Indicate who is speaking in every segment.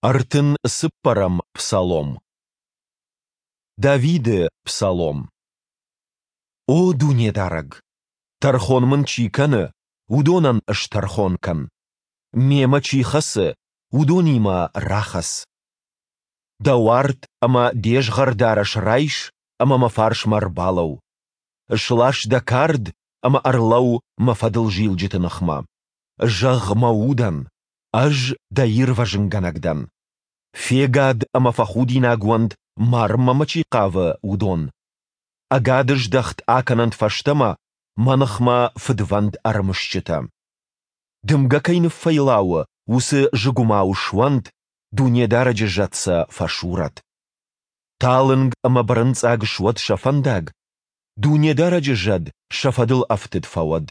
Speaker 1: 34-ӕм псалом. Давиды псалом. О Дунедарӕг! Тӕрхон мын чи кӕны, уыдонӕн стӕрхон кӕн. Мемӕ чи хӕцы, уыдонимӕ рахӕц. Дӕ уарт ӕмӕ де згъӕрдарӕс райс ӕмӕ мӕ фарсмӕ ӕрбалӕуу. Слас дӕ кард ӕмӕ ӕрлӕуу мӕ фӕдылзилджыты ныхмӕ. Зӕгъ мӕ удӕн, Ӕз дӕ ирвӕзынгӕнӕг дӕн. Фегад ӕмӕ фӕхудинаг уӕнт, марынмӕ мӕ чи хъавы, уыдон. Ӕгады здӕхт акӕнӕнт фӕстӕмӕ мӕ ныхмӕ фыдвӕнд ӕрымысджытӕ. Дымгӕ кӕй ныффӕйлауы, уыцы зыгуымау суӕнт, Дунедарӕджы зӕд сӕ фӕсурӕд. Талынг ӕмӕ бырынцъаг суӕд сӕ фӕндаг, Дунедарӕджы зӕд сӕ фӕдыл ӕфтыд фӕуӕд.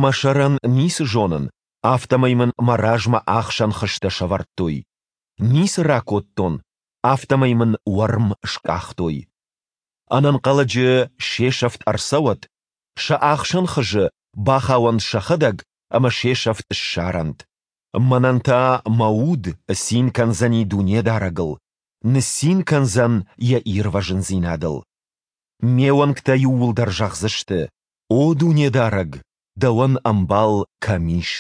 Speaker 1: Мӕ сӕрӕн ницы зонын, афтӕмӕй мын мӕ размӕ ӕхсӕн хызтӕ сӕвӕрдтой. Ницы ракодтон, афтӕмӕй мын уӕрм скъахтой. Ӕнӕнхъӕлӕджы се сӕфт ӕрцӕуӕд, сӕ ӕхсӕн хызы бахауӕнт сӕхӕдӕг ӕмӕ се сӕфт ссарӕнт. Мӕнӕн та мӕ уд цин кӕндзӕни Дунедарӕгыл, ныццин кӕндзӕн Йӕ ирвӕзындзинадыл. Ме уӕнгтӕ иууылдӕр зӕгъдзысты: О Дунедарӕг, дӕуӕн ӕмбал кӕм ис?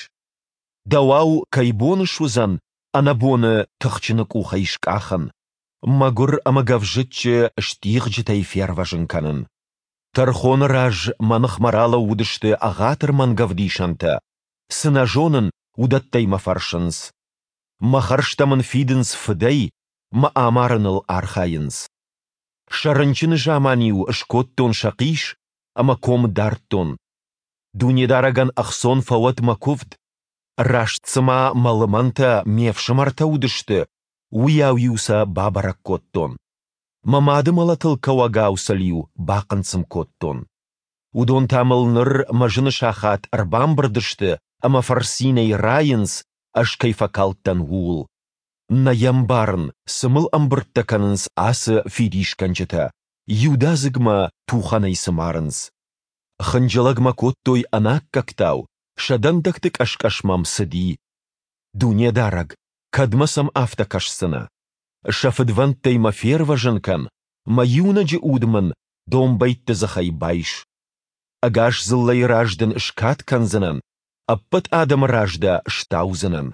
Speaker 1: Дӕуау кӕй бон суыдзӕн ӕнӕбоны тыхджыны къухӕй скъахын, мӕгуыр ӕмӕ гӕвзыччы стигъджытӕй фервӕзын кӕнын? Тӕрхоны раз мӕ ныхмӕ ралӕууыдысты ӕгъатыр мӕнгӕвдисӕнтӕ, цы нӕ зонын, уыдӕттӕй мӕ фӕрсынц. Мӕ хӕрзтӕ мын фидынц фыдӕй, мӕ амарыныл архайынц. Сӕ рынчыны заман-иу скодтон сӕхъис ӕмӕ ком дардтон. Дунедарӕгӕн ӕхцон фӕуӕд мӕ куывд. Раст цыма мӕ лымӕнтӕ ме фсымӕртӕ уыдысты, уыйау-иу сӕ бабӕрӕг кодтон. Мӕ мады мӕлӕтыл кӕуӕгау сыл-иу бахъынцъым кодтон. Уыдон та мыл ныр мӕ зыны сахат ӕрбамбырд сты ӕмӕ фырцинӕй райынц, ӕз кӕй фӕкалдтӕн, ууыл. Нӕ йӕ мбарын, цы мыл ӕмбырдтӕ кӕнынц ацы фидисгӕнджытӕ, иудадзыг мӕ тухӕнӕй цы марынц. Хынджылӕг мӕ кодтой ӕнаккӕгтау, сӕ дӕндӕгты къӕс-къӕс мӕм цыди. Дунедарӕг, кӕдмӕ сӕм афтӕ кӕсдзынӕ? Сӕ фыдвӕндтӕй мӕ фервӕзын кӕн, мӕ иунӕджы уд мын домбӕйтты дзыхӕй байс. Ӕгас дзыллӕйы раз дын скад кӕндзынӕн, ӕппӕт адӕмы раз дӕ стаудзынӕн.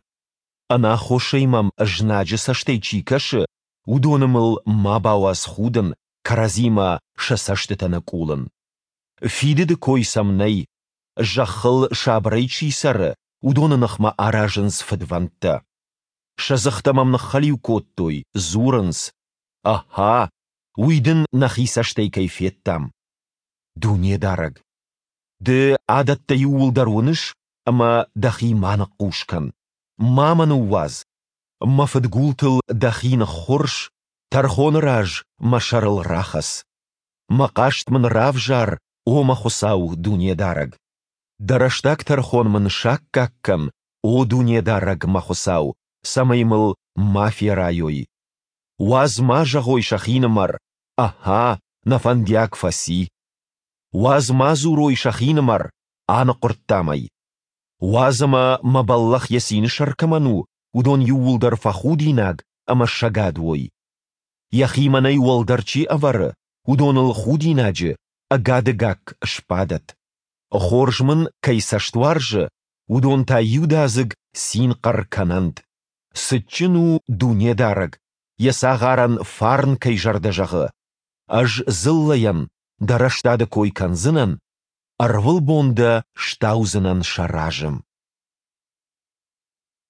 Speaker 1: Ӕнаххосӕй мӕм знаджы цӕстӕй чи кӕсы, уыдоны мыл ма бауадз худын, кӕрӕдзимӕ сӕ цӕстытӕ ныкъулын. Фидыды кой сӕм нӕй, зӕххыл сабырӕй чи цӕры, уыдоны ныхмӕ аразынц фыдвӕндтӕ. Сӕ дзыхтӕ мӕм ныххӕлиу кодтой, дзурынц: «Ахӕ, уый дын нӕхи цӕстӕй кӕй федтам!» Дунедарӕг! Ды адӕттӕ иууылдӕр уыныс ӕмӕ дӕхи ма ныхъхъус кӕн, ма мӕ ныууадз, мӕ фыдгултыл дӕхи ныххуырс, тӕрхоны раз мӕ сӕрыл рахӕц. Мӕ хъаст мын равзар, о мӕ Хуыцау, Дунедарӕг! Дӕ рӕстаг тӕрхон мын саккаг кӕн, о Дунедарӕг, мӕ Хуыцау, цӕмӕй мыл ма ферайой. Уадз ма зӕгъой сӕхинымӕр, Ахӕ, нӕ фӕндиаг фӕци. Уадз ма дзурой сӕхинымӕр, аныхъуырдтам ӕй. Уадз ӕмӕ мӕ бӕллӕх йӕ цины сӕр кӕмӕн у, уыдон иууылдӕр фӕхудинаг ӕмӕ сӕгад уой. Йӕхи мӕнӕй уӕлдӕр чи ӕвӕры, уыдоныл худинаджы, ӕгады гакк сбадӕд. Хорз мын кӕй цӕст уарзы, уыдон та иудадзыг цин-хъӕр кӕнӕнт. Цытджын у Дунедарӕг, йӕ цагъарӕн фарн кӕй зӕрдӕ зӕгъы. Ӕз дзыллӕйӕн дӕ рӕстады кой кӕндзынӕн, ӕрвылбон дӕ стаудзынӕн сӕ разы.